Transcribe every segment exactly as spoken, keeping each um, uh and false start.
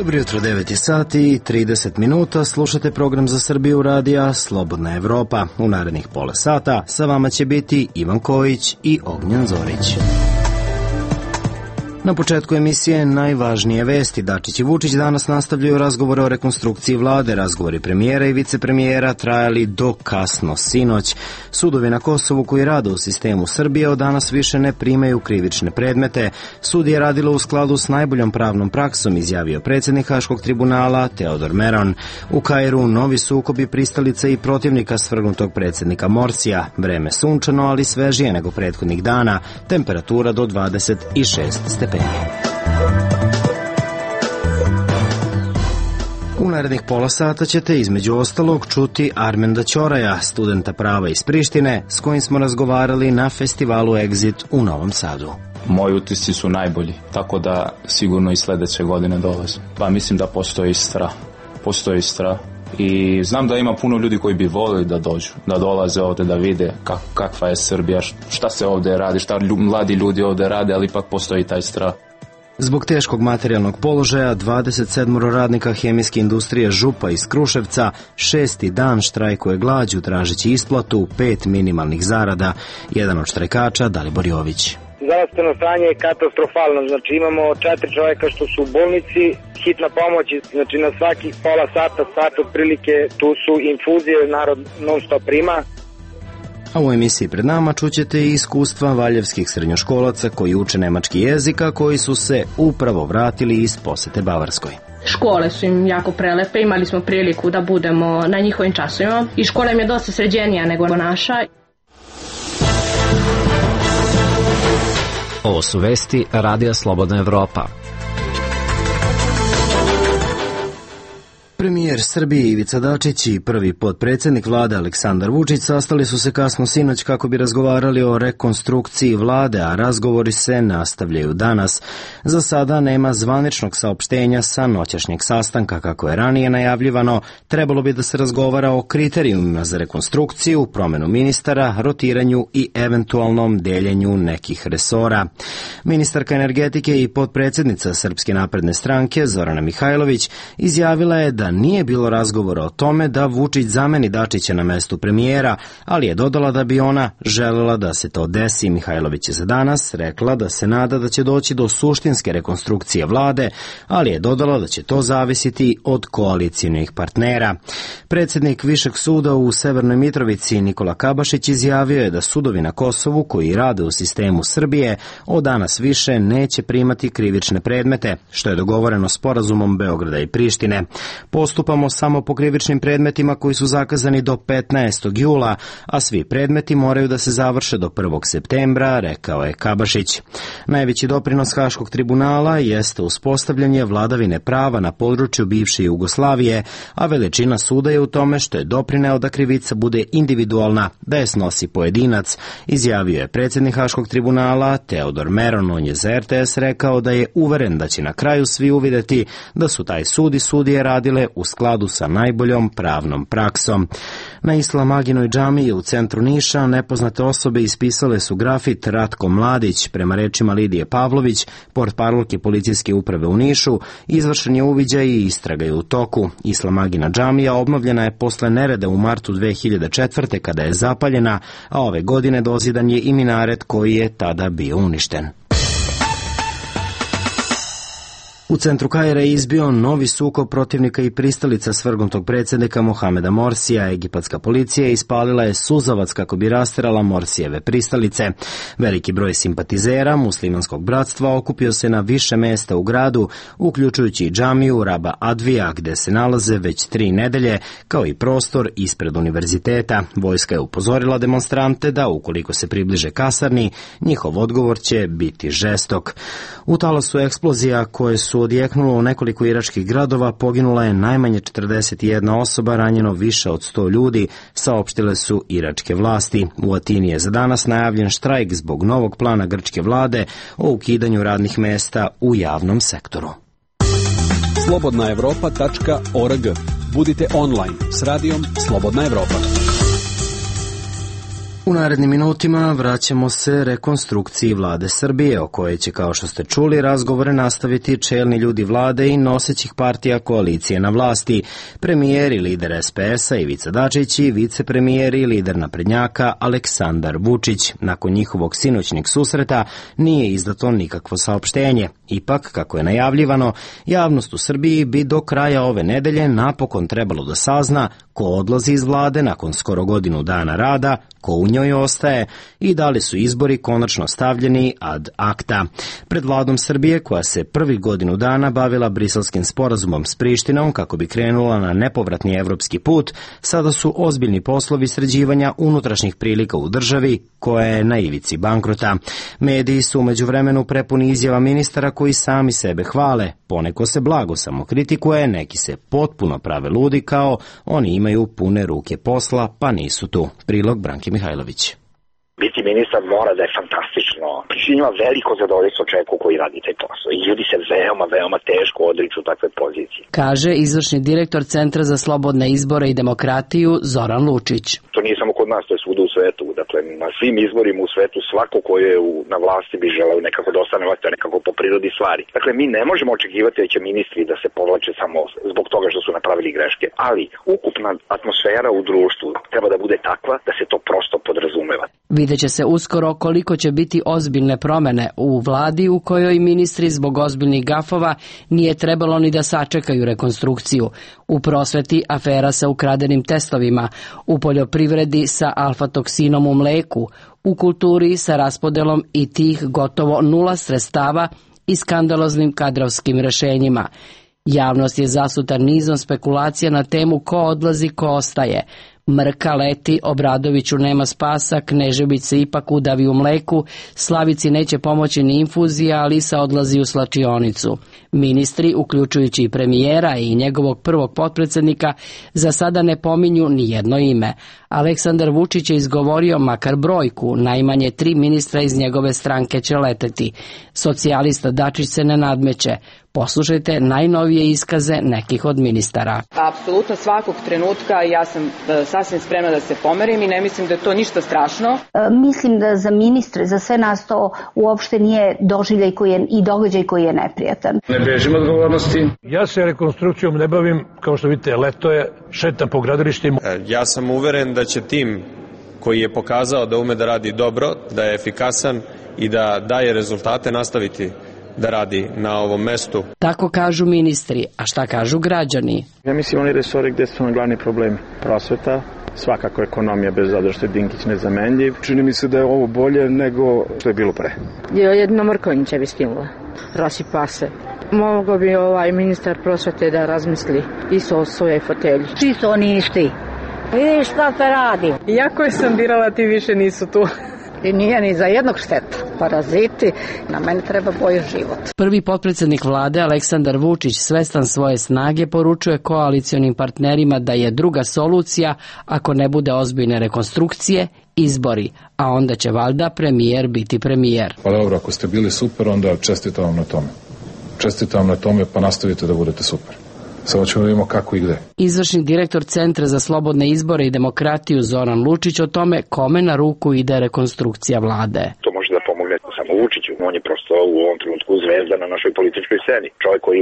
Dobro jutro, devet sati i trideset minuta, slušate program za Srbiju radija Slobodna Evropa. U narednih pola sata sa vama će biti Ivan Kojić i Ognjen Zorić. Na početku emisije najvažnije vesti. Dačić i Vučić danas nastavljaju razgovore o rekonstrukciji vlade. Razgovori premijera i vicepremijera trajali do kasno sinoć. Sudovi na Kosovu koji rade u sistemu Srbije od danas više ne primaju krivične predmete. Sud je radilo u skladu s najboljom pravnom praksom, izjavio predsjednik Haškog tribunala Teodor Meron. U Kairu novi sukobi pristalica i protivnika svrgnutog predsjednika Morsija. Vreme sunčano, ali svežije nego prethodnih dana. Temperatura do dvadeset šest stepeni. U narednih pola sata ćete između ostalog čuti Armenda Ćoraja, studenta prava iz Prištine, s kojim smo razgovarali na festivalu Exit u Novom Sadu. Moji utisci su najbolji, tako da sigurno i sledeće godine dolaze. Pa mislim da postoji strah. Postoji strah. I znam da ima puno ljudi koji bi volili da dođu, da dolaze ovde da vide kak, kakva je Srbija, šta se ovde radi, šta mladi ljudi ovde rade, ali ipak postoji taj strah. Zbog teškog materijalnog položaja, dvadeset sedam radnika hemijske industrije Župa iz Kruševca šesti dan štrajkuje glađu tražeći isplatu pet minimalnih zarada. Jedan od štrajkača, Dalibor Jović. Zdravstveno stanje je katastrofalno, znači imamo četiri čovjeka što su u bolnici, hitna pomoć, znači na svakih pola sata, sat otprilike, tu su infuzije, narod non stop prima. A u emisiji pred nama čućete i iskustva valjevskih srednjoškolaca koji uče nemački jezik, a koji su se upravo vratili iz posete Bavarskoj. Škole su im jako prelepe, imali smo priliku da budemo na njihovim časovima i škola im je dosta sređenija nego naša. Ovo su vesti Radija Slobodna Evropa. Premijer Srbije Ivica Dačić i prvi potpredsjednik vlade Aleksandar Vučić sastali su se kasno sinoć kako bi razgovarali o rekonstrukciji vlade, a razgovori se nastavljaju danas. Za sada nema zvaničnog saopštenja sa noćašnjeg sastanka. Kako je ranije najavljivano, trebalo bi da se razgovara o kriterijumima za rekonstrukciju, promenu ministara, rotiranju i eventualnom deljenju nekih resora. Ministarka energetike i potpredsjednica Srpske napredne stranke Zorana Mihajlović izjavila je da nije bilo razgovora o tome da Vučić zameni Dačića na mestu premijera, ali je dodala da bi ona želela da se to desi. Mihajlović je za danas rekla da se nada da će doći do suštinske rekonstrukcije vlade, ali je dodala da će to zavisiti od koalicijnih partnera. Predsjednik Višeg suda u Severnoj Mitrovici Nikola Kabašić izjavio je da sudovi na Kosovu koji rade u sistemu Srbije od danas više neće primati krivične predmete, što je dogovoreno sporazumom Beograda i Prištine. Postupamo samo po krivičnim predmetima koji su zakazani do petnaestog jula, a svi predmeti moraju da se završe do prvog septembra, rekao je Kabašić. Najveći doprinos Haškog tribunala jeste uspostavljanje vladavine prava na području bivše Jugoslavije, a veličina suda je u tome što je doprineo da krivica bude individualna, da je snosi pojedinac, izjavio je predsjednik Haškog tribunala Teodor Meron. On je za er te es rekao da je uveren da će na kraju svi uvideti da su taj sud i sudije radile u skladu sa najboljom pravnom praksom. Na Islam Aginoj džamiji u centru Niša nepoznate osobe ispisale su grafit Ratko Mladić. Prema rečima Lidije Pavlović, portparolke policijske uprave u Nišu, izvršen je uviđaj i istraga je u toku. Islam Agina džamija obnovljena je posle nereda u martu dve hiljade četvrte. kada je zapaljena, a ove godine dozidan je i minaret koji je tada bio uništen. U centru Kaira je izbio novi sukob protivnika i pristalica svrgnutog predsjednika Mohameda Morsija. Egipatska policija ispalila je suzavac kako bi rasterala Morsijeve pristalice. Veliki broj simpatizera muslimanskog bratstva okupio se na više mesta u gradu, uključujući i džamiju Raba Advija, gde se nalaze već tri nedelje, kao i prostor ispred univerziteta. Vojska je upozorila demonstrante da ukoliko se približe kasarni, njihov odgovor će biti žestok. U talasu eksplozija koje su odjeknulo u nekoliko iračkih gradova, poginula je najmanje četrdeset jedna osoba, ranjeno više od sto ljudi, saopštile su iračke vlasti. U Atini je za danas najavljen štrajk zbog novog plana grčke vlade o ukidanju radnih mesta u javnom sektoru. slobodna evropa tačka org. Budite online s radijom Slobodna Evropa. U narednim minutima vraćamo se rekonstrukciji vlade Srbije, o kojoj će, kao što ste čuli, razgovore nastaviti čelni ljudi vlade i nosećih partija koalicije na vlasti, premijer i lider es pe es-a Ivica Dačić i vicepremijer i lider naprednjaka Aleksandar Vučić. Nakon njihovog sinoćnjeg susreta nije izdato nikakvo saopštenje. Ipak, kako je najavljivano, javnost u Srbiji bi do kraja ove nedelje napokon trebalo da sazna ko odlazi iz vlade nakon skoro godinu dana rada, ko u njoj ostaje i da li su izbori konačno stavljeni ad acta. Pred vladom Srbije, koja se prvih godinu dana bavila briselskim sporazumom s Prištinom kako bi krenula na nepovratni evropski put, sada su ozbiljni poslovi sređivanja unutrašnjih prilika u državi koja je na ivici bankrota. Mediji su umeđu vremenu prepuni izjava ministara koji sami sebe hvale, poneko se blago samo kritikuje, neki se potpuno prave ludi kao oni imaju pune ruke posla pa nisu tu. Prilog Branke Mihajlović. Biti ministar mora da je fantastično. Pričinjava veliko zadovoljstvo čovjeku koji radi taj posao. I ljudi se veoma, veoma teško odriču takve pozicije. Kaže izvršni direktor Centra za slobodne izbore i demokratiju Zoran Lučić. To nije samo kod nas, to je svuda u svetu. Dakle, na svim izborima u svetu svako ko je u, na vlasti bi želeo nekako da ostane vlasti, nekako po prirodi stvari. Dakle, mi ne možemo očekivati da će ministri da se povlače samo zbog toga što su napravili greške. Ali ukupna atmosfera u društvu treba da bude takva da se to prosto podrazumeva. Videće se uskoro koliko će biti ozbiljne promene u vladi u kojoj ministri zbog ozbiljnih gafova nije trebalo ni da sačekaju rekonstrukciju. U prosveti afera sa ukradenim testovima, u poljoprivredi sa alfa-toksinom u mleku, u kulturi sa raspodelom i tih gotovo nula sredstava i skandaloznim kadrovskim rešenjima. Javnost je zasuta nizom spekulacija na temu ko odlazi, ko ostaje. Mrka leti, Obradoviću nema spasa, Knežević se ipak udavi u mleku, Slavici neće pomoći ni infuzija, a Lisa odlazi u slačionicu. Ministri, uključujući i premijera i njegovog prvog potpredsednika, za sada ne pominju ni jedno ime. Aleksandar Vučić je izgovorio makar brojku, najmanje tri ministra iz njegove stranke će leteti. Socijalista Dačić se ne nadmeće. Poslušajte najnovije iskaze nekih od ministara. Apsolutno svakog trenutka ja sam sasvim spremna da se pomerim i ne mislim da je to ništa strašno. E, mislim da za ministre, za sve nas to uopšte nije doživljaj koji je, i događaj koji je neprijatan. Ne bežim odgovornosti. Ja se rekonstrukcijom ne bavim, kao što vidite, leto je, šetam po gradilištima. Ja sam uveren da će tim koji je pokazao da ume da radi dobro, da je efikasan i da daje rezultate nastaviti da radi na ovom mestu. Tako kažu ministri, a šta kažu građani? Ja mislim oni resori gde su na glavni problemi. Prosveta, svakako ekonomija bez obzira što je Dinkić nezamenljiv. Čini mi se da je ovo bolje nego što je bilo pre. Jedno Mrkonjića bi skinula. Rasipa se. Mogo bi ovaj ministar prosvete da razmisli isto o svojoj fotelji. Čisto oni isti. Vidiš šta te radi. Iako je sam birala, ti više nisu tu. I nije ni za jednog šteta. Paraziti, na mene treba bolji život. Prvi potpredsednik vlade Aleksandar Vučić, svestan svoje snage, poručuje koalicionim partnerima da je druga solucija, ako ne bude ozbiljne rekonstrukcije, izbori, a onda će valjda premijer biti premijer. Pa dobro, ako ste bili super, onda čestitam vam na tome. Čestitam vam na tome, pa nastavite da budete super. Samo ćemo vidimo kako i gde. Izvršni direktor Centra za slobodne izbore i demokratiju Zoran Lučić o tome kome na ruku ide rekonstrukcija vlade. To može da pomogne samo Vučiću. On je prosto u ovom trenutku zvezda na našoj političkoj sceni. Čovjek koji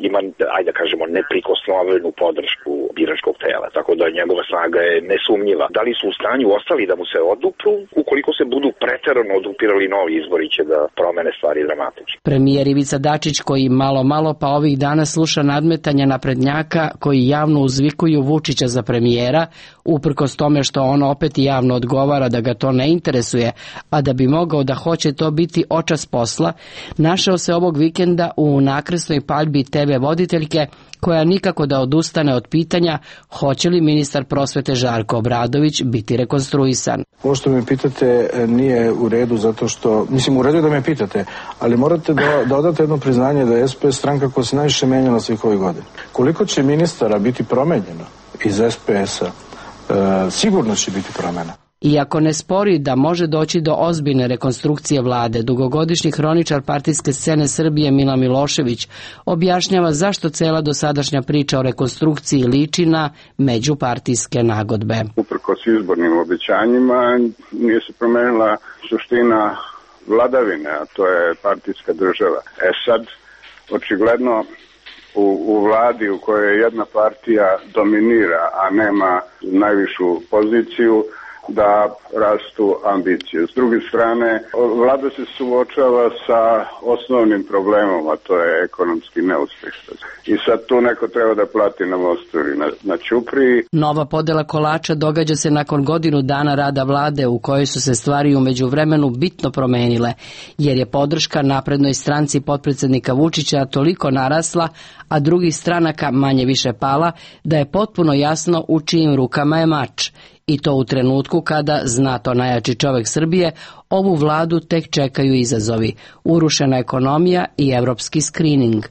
ima, ajde da kažemo, neprikosnovenu podršku biračkog tela. Tako da njegova snaga je nesumnjiva. Da li su u stanju ostali da mu se odupru? Ukoliko se budu preterano odupirali novi izbori će da promene stvari dramatično. Premijer Ivica Dačić, koji malo malo pa ovih dana sluša nadmetanja naprednjaka koji javno uzvikuju Vučića za premijera, uprkos tome što on opet javno odgovara da ga to ne interesuje, a da bi mogao da hoće to biti očas posla, našao se ovog vikenda u nakresnoj paljbi te ve voditeljke koja nikako da odustane od pitanja hoće li ministar prosvete Žarko Obradović biti rekonstruisan. Ovo što me pitate nije u redu zato što, mislim u redu je da me pitate, ali morate da, da odate jedno priznanje da je es pe es stranka koja se najviše menjala svih ovih godina. Koliko će ministara biti promenjeno iz es pe es-a, e, sigurno će biti promena. Iako ne spori da može doći do ozbiljne rekonstrukcije vlade, dugogodišnji hroničar partijske scene Srbije Milan Milošević objašnjava zašto cela dosadašnja priča o rekonstrukciji liči na međupartijske nagodbe. Uprkos izbornim obećanjima nije se promenila suština vladavine, a to je partijska država. E sad, očigledno u, u vladi u kojoj jedna partija dominira, a nema najvišu poziciju, da rastu ambicije. S druge strane, vlada se suočava sa osnovnim problemom, a to je ekonomski neuspeh. I sad tu neko treba da plati na mostu ili na, na ćupriji. Nova podela kolača događa se nakon godinu dana rada vlade u kojoj su se stvari u međuvremenu bitno promenile, jer je podrška naprednoj stranci potpredsednika Vučića toliko narasla, a drugih stranaka manje više pala, da je potpuno jasno u čijim rukama je mač. I to u trenutku kada, zna to najjači čovek Srbije, ovu vladu tek čekaju izazovi, urušena ekonomija i evropski skrining.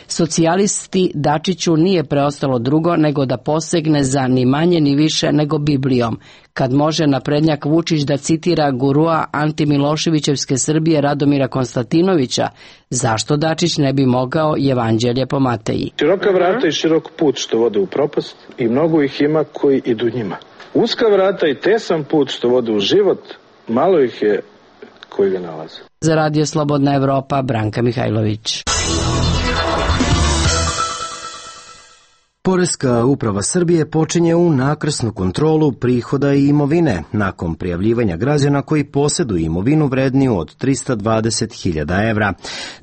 Socijalisti Dačiću nije preostalo drugo nego da posegne za ni manje ni više nego Biblijom, kad može naprednjak Vučić da citira gurua antimiloševićevske Srbije Radomira Konstantinovića, zašto Dačić ne bi mogao Evanđelje po Mateji. Široka vrata i širok put što vode u propast i mnogo ih ima koji idu njima. Uska vrata i tesan put što vode u život, malo ih je koji ga nalaze. Za Radio Slobodna Evropa, Branka Mihajlović. Poreska uprava Srbije počinje u nakrsnu kontrolu prihoda i imovine nakon prijavljivanja građana koji posjeduju imovinu vredniju od trista dvadeset hiljada evra.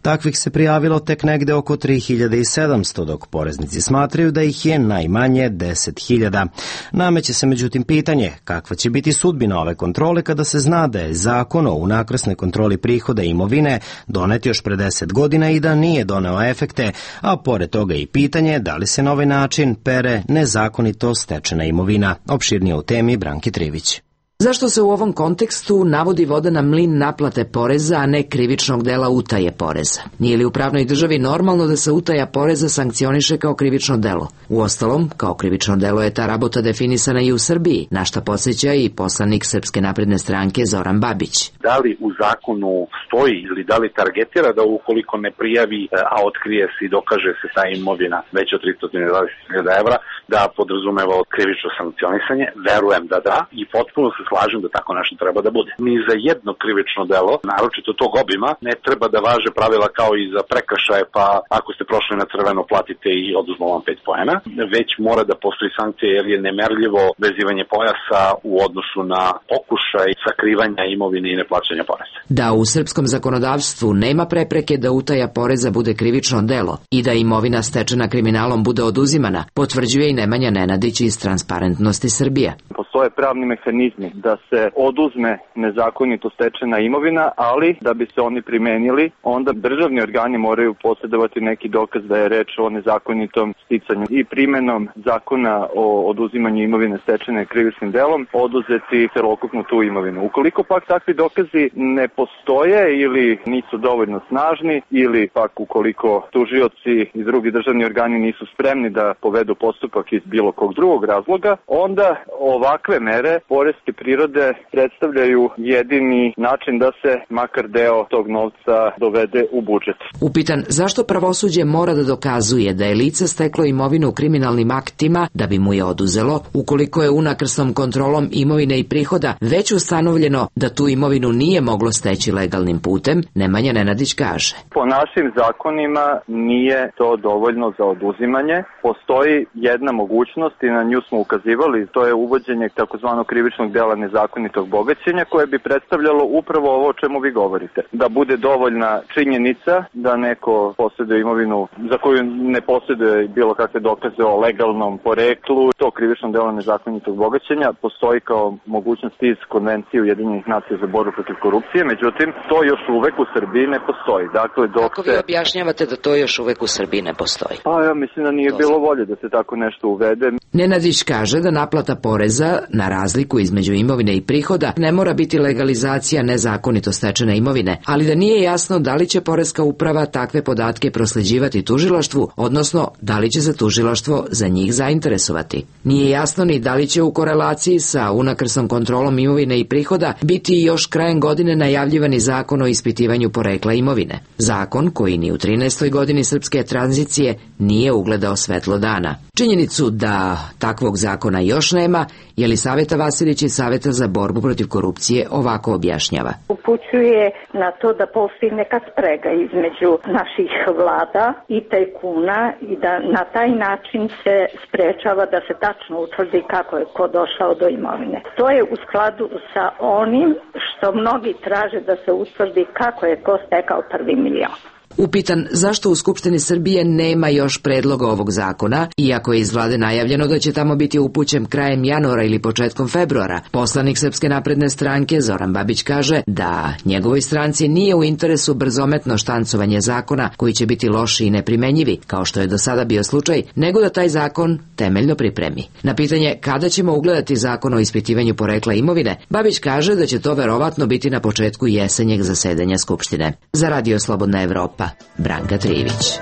Takvih se prijavilo tek negde oko tri hiljade sedamsto, dok poreznici smatraju da ih je najmanje deset hiljada. Nameće se međutim pitanje kakva će biti sudbina ove kontrole kada se zna da je zakon o nakrsnoj kontroli prihoda i imovine donet još pre deset godina i da nije doneo efekte, a pored toga i pitanje da li se na ovaj način pere nezakonito stečena imovina. Opširnije u temi Branki Trivić. Zašto se u ovom kontekstu navodi voda na mlin naplate poreza, a ne krivičnog dela utaje poreza? Nije li u pravnoj državi normalno da se utaja poreza sankcioniše kao krivično delo? Uostalom, kao krivično delo je ta rabota definisana i u Srbiji, na šta podsjeća i poslanik Srpske napredne stranke Zoran Babić. Da li u zakonu stoji ili da li targetira da ukoliko ne prijavi, a otkrije se i dokaže se ta imovina veća od trista dvadeset hiljada evra, da podrazumeva krivično sankcionisanje? Verujem da da i potpuno se slažem da tako nešto treba da bude. Ni za jedno krivično delo, naročito tog obima, ne treba da važe pravila kao i za prekršaje, pa ako ste prošli na crveno platite i oduzmo vam pet poena, već mora da postoji sankcija jer je nemerljivo vezivanje pojasa u odnosu na pokušaj sakrivanja imovine i neplaćanja poreza. Da u srpskom zakonodavstvu nema prepreke da utaja poreza bude krivično delo i da imovina stečena kriminalom bude oduzimana, potvrđuje i Nemanja Nenadić iz Transparentnosti Srbije. Postoje pravni mehanizmi da se oduzme nezakonito stečena imovina, ali da bi se oni primenili, onda državni organi moraju posjedovati neki dokaz da je reč o nezakonitom sticanju i primenom zakona o oduzimanju imovine stečene krivičnim delom oduzeti celokupnu tu imovinu. Ukoliko pak takvi dokazi ne postoje ili nisu dovoljno snažni ili pak ukoliko tužioci i drugi državni organi nisu spremni da povedu postupak iz bilo kog drugog razloga, onda ovakve mere poreske prirode predstavljaju jedini način da se makar deo tog novca dovede u budžet. Upitan zašto pravosuđe mora da dokazuje da je lice steklo imovinu kriminalnim aktima da bi mu je oduzelo, ukoliko je unakrsnom kontrolom imovine i prihoda već ustanovljeno da tu imovinu nije moglo steći legalnim putem, Nemanja Nenadić kaže. Po našim zakonima nije to dovoljno za oduzimanje. Postoji jedna mogućnost i na nju smo ukazivali, to je uvođenje takozvanog krivičnog dela nezakonitog bogaćenja koje bi predstavljalo upravo ovo o čemu vi govorite. Da bude dovoljna činjenica da neko posjeduje imovinu za koju ne posjeduje bilo kakve dokaze o legalnom poreklu. To krivično delo nezakonitog bogaćenja postoji kao mogućnost iz Konvencije Ujedinjenih nacija za borbu protiv korupcije, međutim to još uvek u Srbiji ne postoji. Dakle, dok Kako vi objašnjavate da to još uvek u Srbiji ne postoji? Pa ja mislim da nije bilo volje da se tako nešto uvede. Nenadić kaže da naplata poreza na razliku između imovine i prihoda ne mora biti legalizacija nezakonito stečene imovine, ali da nije jasno da li će poreska uprava takve podatke prosleđivati tužilaštvu, odnosno da li će se tužilaštvo za njih zainteresovati. Nije jasno ni da li će u korelaciji sa unakrsnom kontrolom imovine i prihoda biti još krajem godine najavljivani zakon o ispitivanju porekla imovine. Zakon koji ni u trinaestoj godini srpske tranzicije nije ugledao svetlo dana. Činjenicu da takvog zakona još nema, Jelisaveta Vasilić iz Saveta za borbu protiv korupcije ovako objašnjava. Upućuje na to da postoji neka sprega između naših vlada i tajkuna i da na taj način se sprečava da se tačno utvrdi kako je ko došao do imovine. To je u skladu sa onim što mnogi traže da se utvrdi kako je ko stekao prvi milion. Upitan zašto u Skupštini Srbije nema još predloga ovog zakona, iako je iz vlade najavljeno da će tamo biti upućen krajem januara ili početkom februara, poslanik Srpske napredne stranke Zoran Babić kaže da njegovoj stranci nije u interesu brzometno štancovanje zakona koji će biti loši i neprimenjivi, kao što je do sada bio slučaj, nego da taj zakon temeljno pripremi. Na pitanje kada ćemo ugledati zakon o ispitivanju porekla imovine, Babić kaže da će to verovatno biti na početku jesenjeg zasedanja Skupštine. Za Radio Slobodna Evropa, Branka Trivić.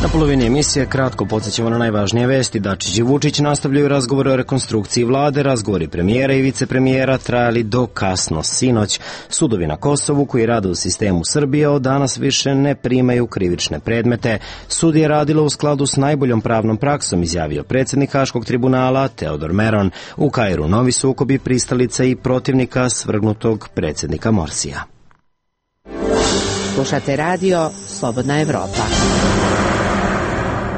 Na polovini emisije kratko podsjećamo na najvažnije vesti. Dačić i Vučić nastavljaju razgovore o rekonstrukciji vlade. Razgovori premijera i vicepremijera trajali do kasno sinoć. Sudovi na Kosovu koji rade u sistemu Srbije od danas više ne primaju krivične predmete. Sud je radilo u skladu s najboljom pravnom praksom, izjavio predsjednik Haškog tribunala Teodor Meron. U Kairu novi sukobi pristalica i protivnika svrgnutog predsjednika Morsija. Slušate radio Slobodna Evropa.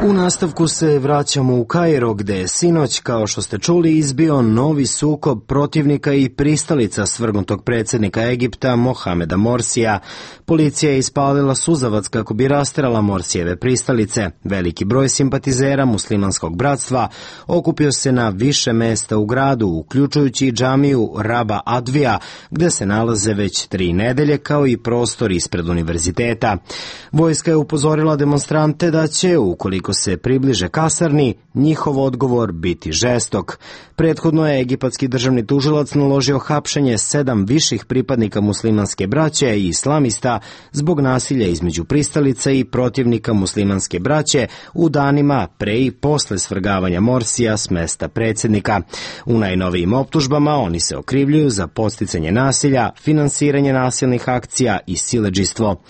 U nastavku se vraćamo u Kairo, gde je sinoć, kao što ste čuli, izbio novi sukob protivnika i pristalica svrgnutog predsjednika Egipta Mohameda Morsija. Policija je ispalila suzavac kako bi rasterala Morsijeve pristalice. Veliki broj simpatizera muslimanskog bratstva okupio se na više mesta u gradu, uključujući i džamiju Raba Advija, gde se nalaze već tri nedelje, kao i prostor ispred univerziteta. Vojska je upozorila demonstrante da će, ukoliko se približe kasarni, njihov odgovor biti žestok. Prethodno je egipatski državni tužilac naložio hapšenje sedam viših pripadnika muslimanske braće i islamista zbog nasilja između pristalica i protivnika muslimanske braće u danima pre i posle svrgavanja Morsija s mesta predsjednika. U najnovijim optužbama oni se okrivljuju za podsticanje nasilja, finansiranje nasilnih akcija i siledžijstvo.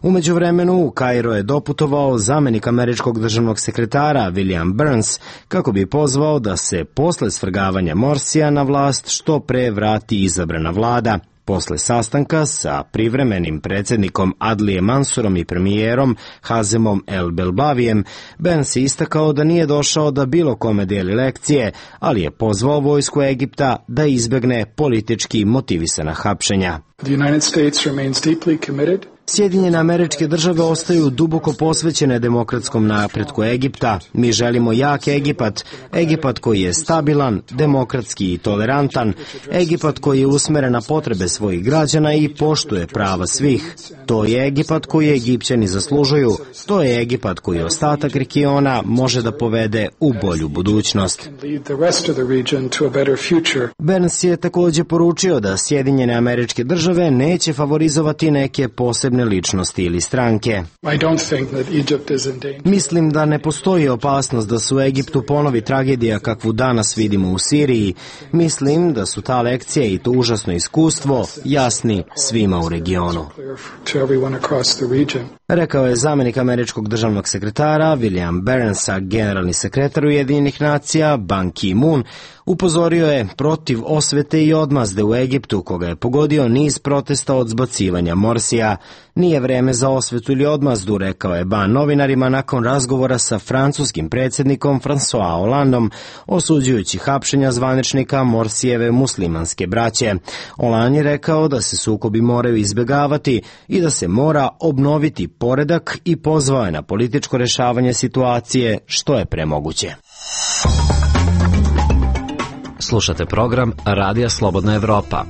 U međuvremenu u Kairo je doputovao zamenik američkog državnog sekretara William Burns kako bi pozvao da se posle svrgavanja Morsija na vlast što pre vrati izabrana vlada. Posle sastanka sa privremenim predsjednikom Adlije Mansurom i premijerom Hazemom El Belbavijem, Burns je istakao da nije došao da bilo kome deli lekcije, ali je pozvao vojsku Egipta da izbegne politički motivisana hapšenja. The United States remains deeply committed. Sjedinjene Američke Države ostaju duboko posvećene demokratskom napretku Egipta. Mi želimo jak Egipat, Egipat koji je stabilan, demokratski i tolerantan, Egipat koji je usmeren na potrebe svojih građana i poštuje prava svih. To je Egipat koji Egipćani zaslužuju, to je Egipat koji ostatak regiona može da povede u bolju budućnost. Burns je također poručio da Sjedinjene Američke Države neće favorizovati neke posebne ličnosti ili stranke. Mislim da ne postoji opasnost da se u Egiptu ponovi tragedija kakvu danas vidimo u Siriji. Mislim da su ta lekcija i to užasno iskustvo jasni svima u regionu. Rekao je zamenik američkog državnog sekretara William Burns, a generalni sekretar Ujedinjenih nacija Ban Ki-moon upozorio je protiv osvete i odmazde u Egiptu, koga je pogodio niz protesta od zbacivanja Morsija. Nije vreme za osvetu ili odmazdu, rekao je Ban novinarima nakon razgovora sa francuskim predsjednikom François Hollandom, osuđujući hapšenja zvaničnika Morsijeve muslimanske braće. Hollande je rekao da se sukobi moraju izbjegavati i da se mora obnoviti poredak i pozvao je na političko rešavanje situacije što je premoguće. Slušate program Radija Slobodna Evropa.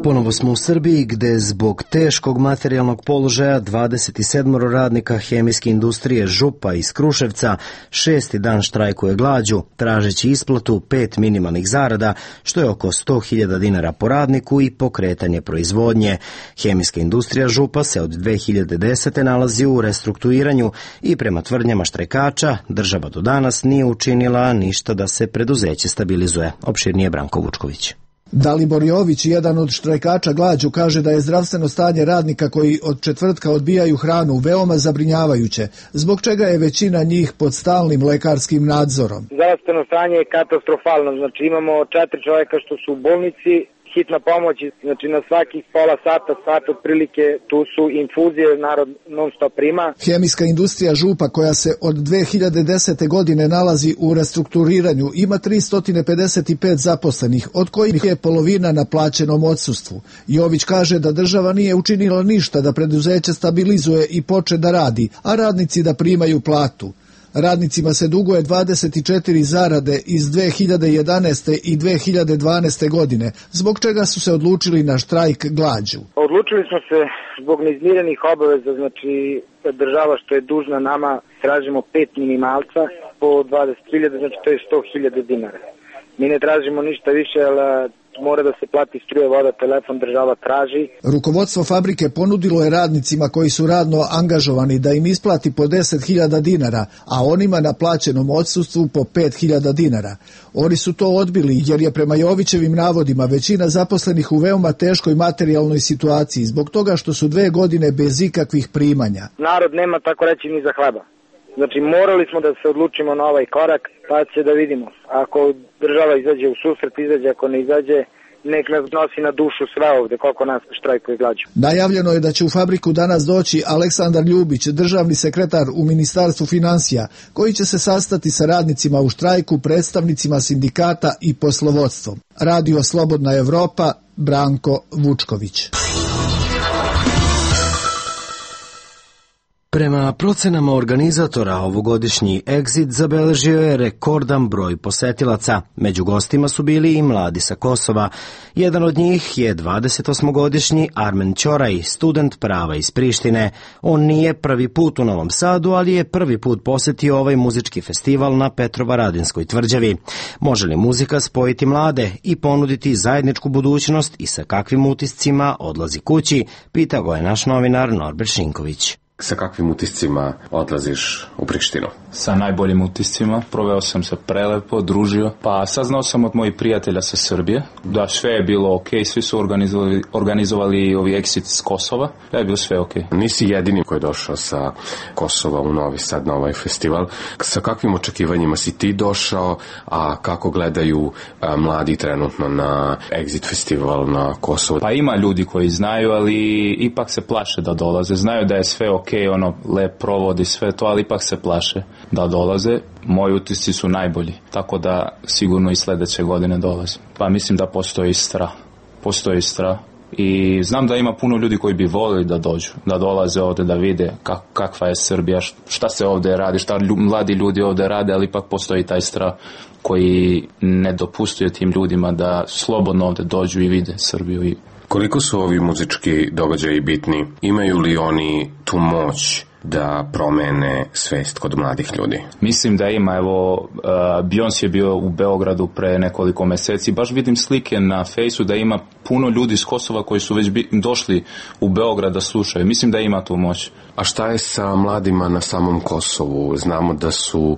Ponovo smo u Srbiji gde zbog teškog materijalnog položaja dvadeset sedam radnika hemijske industrije Župa iz Kruševca šesti dan štrajkuje glađu, tražeći isplatu pet minimalnih zarada, što je oko sto hiljada dinara po radniku i pokretanje proizvodnje. Hemijska industrija Župa se od dve hiljade desete. nalazi u restrukturiranju i prema tvrdnjama štrajkača država do danas nije učinila ništa da se preduzeće stabilizuje. Opširnije Branko Vučković. Dalibor Jović, jedan od štrajkača glađu, kaže da je zdravstveno stanje radnika koji od četvrtka odbijaju hranu veoma zabrinjavajuće, zbog čega je većina njih pod stalnim lekarskim nadzorom. Zdravstveno stanje je katastrofalno, znači imamo četiri čovjeka što su u bolnici, hitna pomoć, znači na svakih pola sata, sat otprilike, tu su infuzije, narod non stop prima. Hemijska industrija Župa, koja se od dve hiljade desete. godine nalazi u restrukturiranju, ima tristo pedeset pet zaposlenih, od kojih je polovina na plaćenom odsustvu. Jović kaže da država nije učinila ništa da preduzeće stabilizuje i poče da radi, a radnici da primaju platu. Radnicima se duguje dvadeset četiri zarade iz dve hiljade jedanaeste. i dve hiljade dvanaeste. godine, zbog čega su se odlučili na štrajk glađu. Odlučili smo se zbog neizmirenih obaveza, znači država što je dužna nama, tražimo pet minimalca po dvadeset hiljada, znači to je sto hiljada dinara. Mi ne tražimo ništa više, ali mora da se plati struje, voda, telefon, država traži. Rukovodstvo fabrike ponudilo je radnicima koji su radno angažovani da im isplati po deset hiljada dinara, a onima na plaćenom odsustvu po pet hiljada dinara. Oni su to odbili jer je prema Jovićevim navodima većina zaposlenih u veoma teškoj materijalnoj situaciji zbog toga što su dve godine bez ikakvih primanja. Narod nema tako reći ni za hleba. Znači morali smo da se odlučimo na ovaj korak, pa će da vidimo. Ako država izađe u susret, izađe, ako ne izađe, nek nas nosi na dušu sve ovde, koliko nas štrajkuje glađu. Najavljeno je da će u fabriku danas doći Aleksandar Ljubić, državni sekretar u Ministarstvu finansija, koji će se sastati sa radnicima u štrajku, predstavnicima sindikata i poslovodstvom. Radio Slobodna Evropa, Branko Vučković. Prema procenama organizatora, ovogodišnji Exit zabeležio je rekordan broj posetilaca. Među gostima su bili i mladi sa Kosova. Jedan od njih je dvadesetosmogodišnji Armen Ćoraj, student prava iz Prištine. On nije prvi put u Novom Sadu, ali je prvi put posetio ovaj muzički festival na Petrovaradinskoj tvrđavi. Može li muzika spojiti mlade i ponuditi zajedničku budućnost i sa kakvim utiscima odlazi kući, pitao go je naš novinar Norbert Šinković. Sa kakvim utiscima odlaziš u Prištinu? Sa najboljim utiscima. Proveo sam se prelepo, družio. Pa saznao sam od mojih prijatelja sa Srbije da sve je bilo ok, svi su organizovali, organizovali ovi Exit s Kosova, da je bilo sve ok. Nisi jedini koji je došao sa Kosova u Novi Sad na ovaj festival. Sa kakvim očekivanjima si ti došao, a kako gledaju a, mladi trenutno na Exit festival na Kosovu? Pa ima ljudi koji znaju, ali ipak se plaše da dolaze. Znaju da je sve ok, ono, lep provodi sve to, ali ipak se plaše da dolaze. Moji utisci su najbolji, tako da sigurno i sledeće godine dolaze. Pa mislim da postoji strah. Postoji strah. I znam da ima puno ljudi koji bi volili da dođu, da dolaze ovde, da vide kak, kakva je Srbija, šta se ovde radi, šta lju, mladi ljudi ovde rade, ali ipak postoji taj strah koji ne dopustuje tim ljudima da slobodno ovde dođu i vide Srbiju. I koliko su ovi muzički događaji bitni? Imaju li oni tu moć da promene svest kod mladih ljudi? Mislim da ima. Evo, uh, Beyoncé je bio u Beogradu pre nekoliko meseci. Baš vidim slike na fejsu da ima puno ljudi iz Kosova koji su već bi, došli u Beograd da slušaju. Mislim da ima tu moć. A šta je sa mladima na samom Kosovu? Znamo da su uh,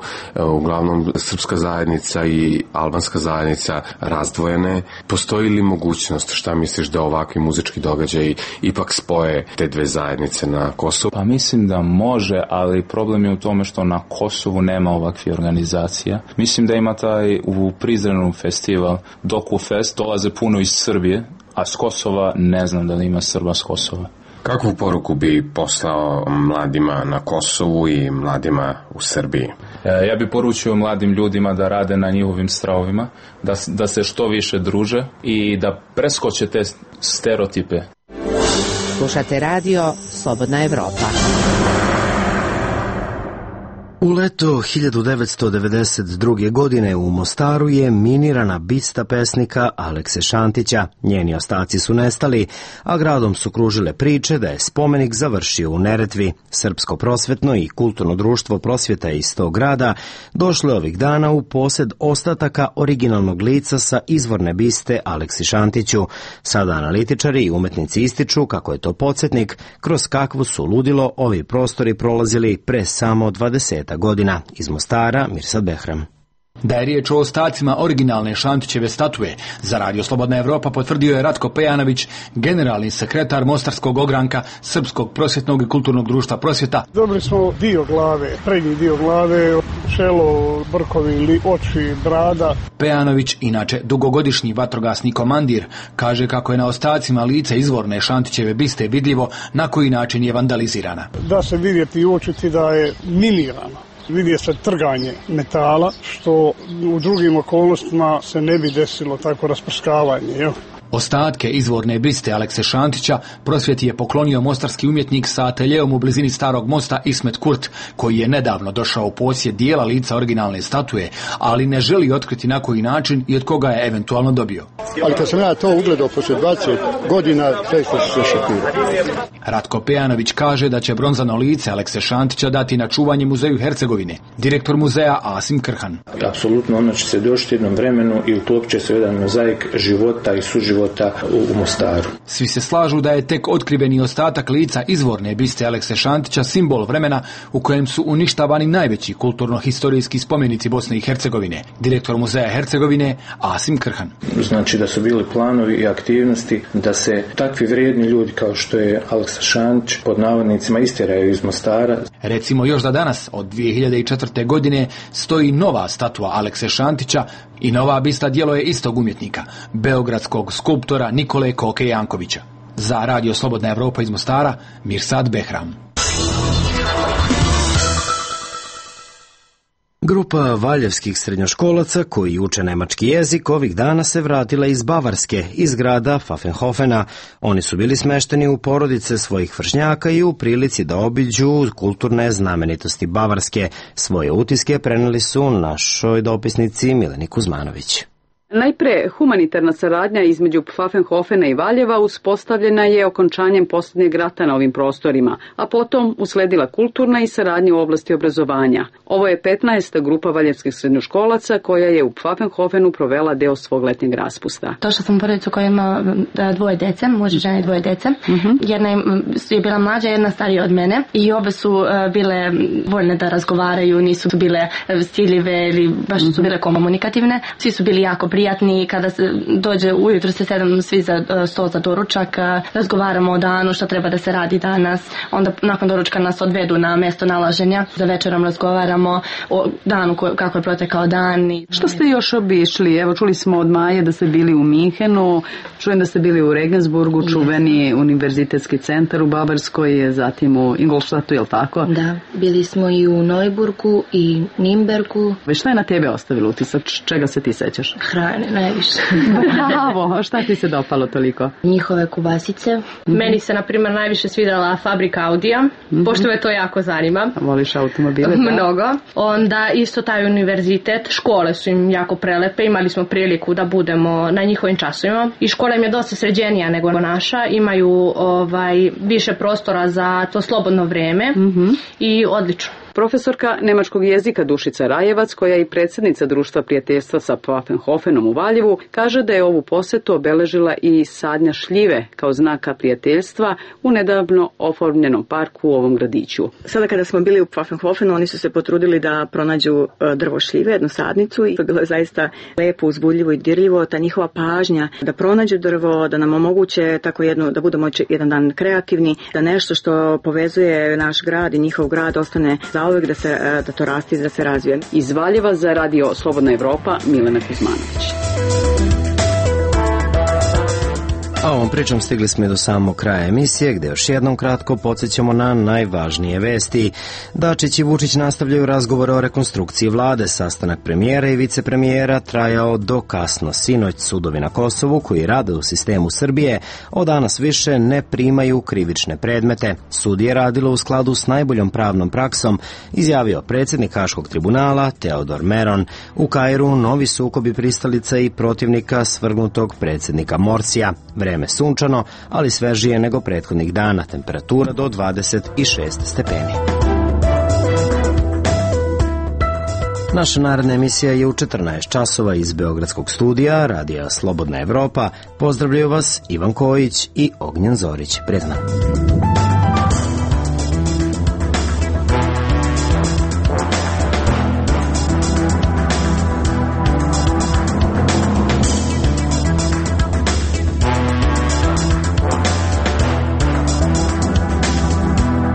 uglavnom srpska zajednica i albanska zajednica razdvojene. Postoji li mogućnost, šta misliš, da ovakvi muzički događaji ipak spoje te dve zajednice na Kosovu? Pa mislim da može, ali problem je u tome što na Kosovu nema ovakvih organizacija. Mislim da ima taj u Prizrenu festival DokuFest, dolaze puno iz Srbije, a s Kosova ne znam da li ima Srba s Kosova. Kakvu poruku bi poslao mladima na Kosovu i mladima u Srbiji? E, ja bi poručio mladim ljudima da rade na njihovim strahovima, da, da se što više druže i da preskoče te stereotipe. Slušate radio Slobodna Evropa. U leto hiljadu devetsto devedeset druge. godine u Mostaru je minirana bista pesnika Alekse Šantića. Njeni ostaci su nestali, a gradom su kružile priče da je spomenik završio u Neretvi. Srpsko prosvetno i kulturno društvo prosvjeta iz tog grada došlo je ovih dana u posjed ostataka originalnog lica sa izvorne biste Aleksi Šantiću. Sada analitičari i umetnici ističu kako je to podsjetnik kroz kakvu su ludilo ovi prostori prolazili pre samo dvadeset godina. Iz Mostara, Mirsad Behram. Da je riječ o ostacima originalne Šantićeve statue, za Radio Slobodna Evropa potvrdio je Ratko Pejanović, generalni sekretar Mostarskog ogranka Srpskog prosvjetnog i kulturnog društva prosvjeta. Dobili smo dio glave, prednji dio glave, čelo, brkovi, oči, brada. Pejanović, inače dugogodišnji vatrogasni komandir, kaže kako je na ostacima lica izvorne Šantićeve biste vidljivo na koji način je vandalizirana. Da se vidjeti i uočiti da je minirano. Vidje se trganje metala, što u drugim okolnostima se ne bi desilo tako rasprskavanje. Jel? Ostatke izvorne biste Alekse Šantića prosvjeti je poklonio mostarski umjetnik sa ateljeom u blizini Starog mosta Ismet Kurt, koji je nedavno došao u posjed dijela lica originalne statue, ali ne želi otkriti na koji način i od koga je eventualno dobio. Ali kad sam ja to ugledao poslije dvadeset godina, zaista se sve šokirao. Ratko Pejanović kaže da će bronzano lice Alekse Šantića dati na čuvanje muzeju Hercegovine. Direktor muzeja Asim Krhan. Apsolutno ono će se doći jednom vremenu i uklopit će se jedan mozaik života i suživota u Mostaru. Svi se slažu da je tek otkriveni ostatak lica izvorne biste Alekse Šantića simbol vremena u kojem su uništavani najveći kulturno-historijski spomenici Bosne i Hercegovine. Direktor muzeja Hercegovine Asim Krhan. Znači da su bili planovi i aktivnosti da se takvi vrijedni ljudi kao što je Aleksa Šantić pod navodnicima istjeraju iz Mostara. Recimo još da danas od dvije hiljade četvrte. godine stoji nova statua Alekse Šantića i nova bista djelo je istog umjetnika, beogradskog skulptora Nikole Koke Jankovića. Za Radio Slobodna Evropa iz Mostara, Mirsad Behram. Grupa valjevskih srednjoškolaca koji uče nemački jezik ovih dana se vratila iz Bavarske, iz grada Pfaffenhofena. Oni su bili smešteni u porodice svojih vršnjaka i u prilici da obiđu kulturne znamenitosti Bavarske. Svoje utiske preneli su našoj dopisnici Mileni Kuzmanović. Najpre, humanitarna saradnja između Pfaffenhofena i Valjeva uspostavljena je okončanjem posljednjeg rata na ovim prostorima, a potom usledila kulturna i saradnja u oblasti obrazovanja. Ovo je petnaesta grupa valjevskih srednjoškolaca koja je u Pfaffenhofenu provela deo svog letnjeg raspusta. Došla sam u porodicu koja ima dvoje dece, muž i žena i dvoje dece. Uh-huh. Jedna je bila mlađa, jedna starija od mene i obe su bile voljne da razgovaraju, nisu bile stiljive ili baš su bile komunikativne. Svi su bili jako prijatni. Prijatni, kada se dođe ujutro se sedam svi za sto za doručak, razgovaramo o danu, što treba da se radi danas, onda nakon doručka nas odvedu na mjesto nalaženja, za večerom razgovaramo o danu kako je protekao dan. Što ste još obišli? Evo čuli smo od Maje da ste bili u Minhenu, čujem da ste bili u Regensburgu, čuveni univerzitetski centar u Bavarskoj, zatim u Ingolstadtu, je li tako? Da, bili smo i u Neuburgu i Nimbergu. Šta je na tebe ostavilo utisak? Čega se ti sećaš? Hrane, najviše. Bravo, šta ti se dopalo toliko? Njihove kubasice. Mm-hmm. Meni se, na primjer, najviše svidjela fabrika Audija, mm-hmm. pošto me to jako zanima. Voliš automobile? Mnogo. Onda isto taj univerzitet, škole su im jako prelepe, imali smo priliku da budemo na njihovim časovima i škola im je dosta sređenija nego naša, imaju ovaj, više prostora za to slobodno vrijeme mm-hmm. i odlično. Profesorka nemačkog jezika Dušica Rajevac, koja je i predsjednica Društva prijateljstva sa Pfaffenhofenom u Valjevu, kaže da je ovu posjetu obeležila i sadnja šljive kao znaka prijateljstva u nedavno oformljenom parku u ovom gradiću. Sada kada smo bili u Pfaffenhofenu, oni su se potrudili da pronađu drvo šljive, jednu sadnicu, i to je bilo zaista lepo, uzbudljivo i dirljivo. Ta njihova pažnja da pronađu drvo, da nam omoguće tako jedno, da budemo jedan dan kreativni, da nešto što povezuje naš grad i njihov grad ostane za uvijek, da, se, da to rasti, da se razvije. Iz Valjeva za Radio Slobodna Evropa, Milena Kuzmanović. A ovom pričom stigli smo i do samog kraja emisije, gde još jednom kratko podsjećamo na najvažnije vesti. Dačić i Vučić nastavljaju razgovore o rekonstrukciji vlade. Sastanak premijera i vicepremijera trajao do kasno sinoć. Sudovi na Kosovu, koji rade u sistemu Srbije, od danas više ne primaju krivične predmete. Sud je radilo u skladu s najboljom pravnom praksom, izjavio predsjednik Haškog tribunala Teodor Meron. U Kairu novi sukobi pristalica i protivnika svrgnutog predsjednika Morsija. Vreme sunčano, ali svežije nego prethodnih dana, temperatura do dvadeset šest stepeni. Naša naredna emisija je u četrnaest časova iz Beogradskog studija Radija Slobodna Evropa. Pozdravljaju vas Ivan Kojić i Ognjen Zorić. Prijatno.